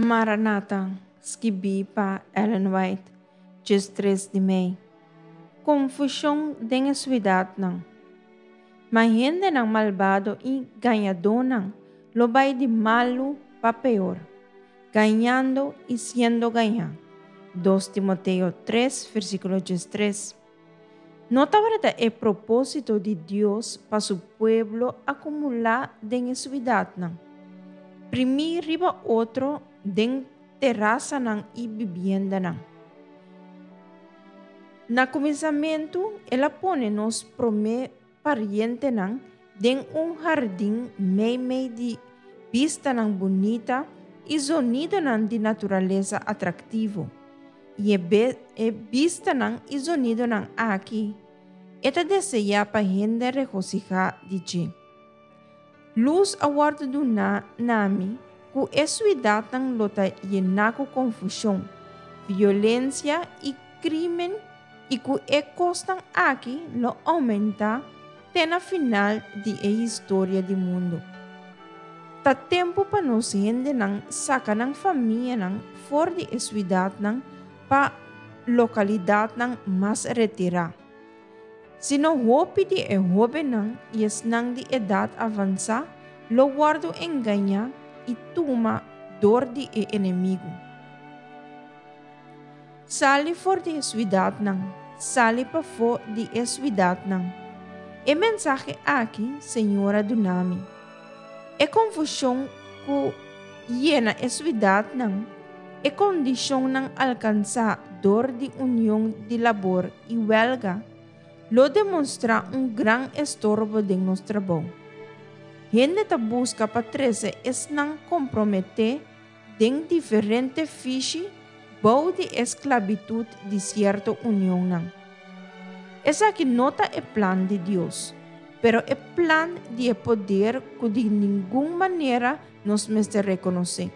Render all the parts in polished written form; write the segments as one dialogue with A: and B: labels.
A: Maranata, skibí pa Ellen White, 13 di mei. Konfushon den e suidatnan. Ma hendenan malbado i gañadónan lo bai di malu pa peor, gañando i siendo gañá. 2 Timoteo 3, versíkulo 13. No tabata e propósito di Dios pa su pueblo akumulá den e suidatnan, primí riba otro den terasanan i bibiendanan. Na kuminsamentu el a pone nos promé parientenan den un hardin meimei di bistanan bunita i zonidonan di naturalesa atraktivo. I e e bistanan i zonidonan aki e ta deseá pa hende regosihá di dje. Lus a wòrdu duná na mi ku e suidatnan lo ta yená ku konfushon, violensia i krímen i ku e kosnan aki lo oumentá te na final di e historia di mundu. Ta tempu pa nos hendenan saka nan famianan for di e suidatnan pa lokalidatnan mas retirá. Sino hopi di e hóbennan i esnan di edat avansá lo wòrdu engañá i tuma dor di e enemigu. Sali for di e suidatnan, sali pafó di e suidatnan. E mensahe aki Señor a duna mi. E konfushon ku yena e suidatnan, e kondishonnan alkansá dor di union di labor i wèlga, lo demonstrá un gran estorbo den nos trabou. Hende ta buska pa trese esnan komprometé den diferente fishi bou di e sklabitut di sierto unionnan. Esaki no ta e plan di Dios, pero e plan di e poder ku di ningun manera nos mester rekonosé.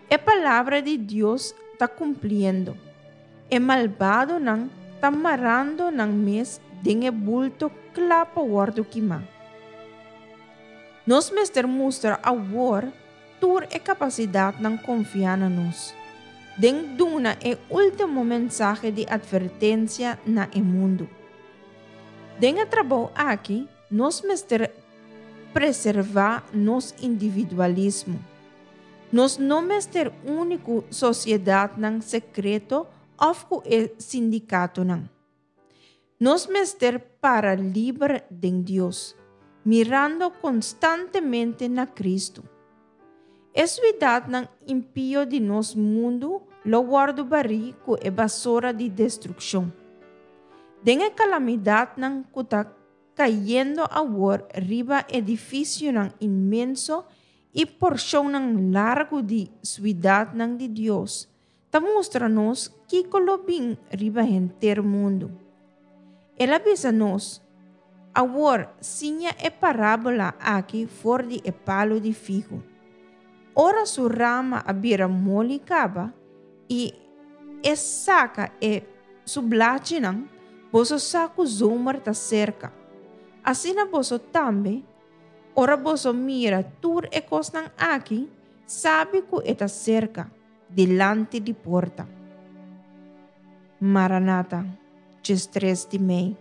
A: E palabra di Dios ta kumpliendo. E malbadonan ta marando nan mes den e bulto kla pa wòrdu kimá. Nos mester mustra awor tur e kapasidatnan konfiá na nos, den duna e último mensahe di atvertensia na e mundu. Den e trabou aki nos mester preservá nos individualismo. Nos no mester uni ku sosiedatnan sekreto òf ku e sindikatonan. Nos mester para liber den Dios, mirando konstantemente na Kristu. E suidatnan impio di nos mundu lo wòrdu barí ku e basora di destrukshon. Den e kalamidatnan ku ta kayendo awor riba edifisionan inmenso i porshonnan largu di suidatnan di Dios, ta mustra nos kiko lo bin riba henter mundu. El a bisa nos, Awor siña e parábola aki for di e palu di figu. Ora su rama a bira moli kaba i e saka e su blachinan, boso sa ku zomer ta serka. Asina boso tambe, ora boso mira tur e kosnan aki, sabi ku e ta serka. Dilanti di porta. Maranata, 13 di mei.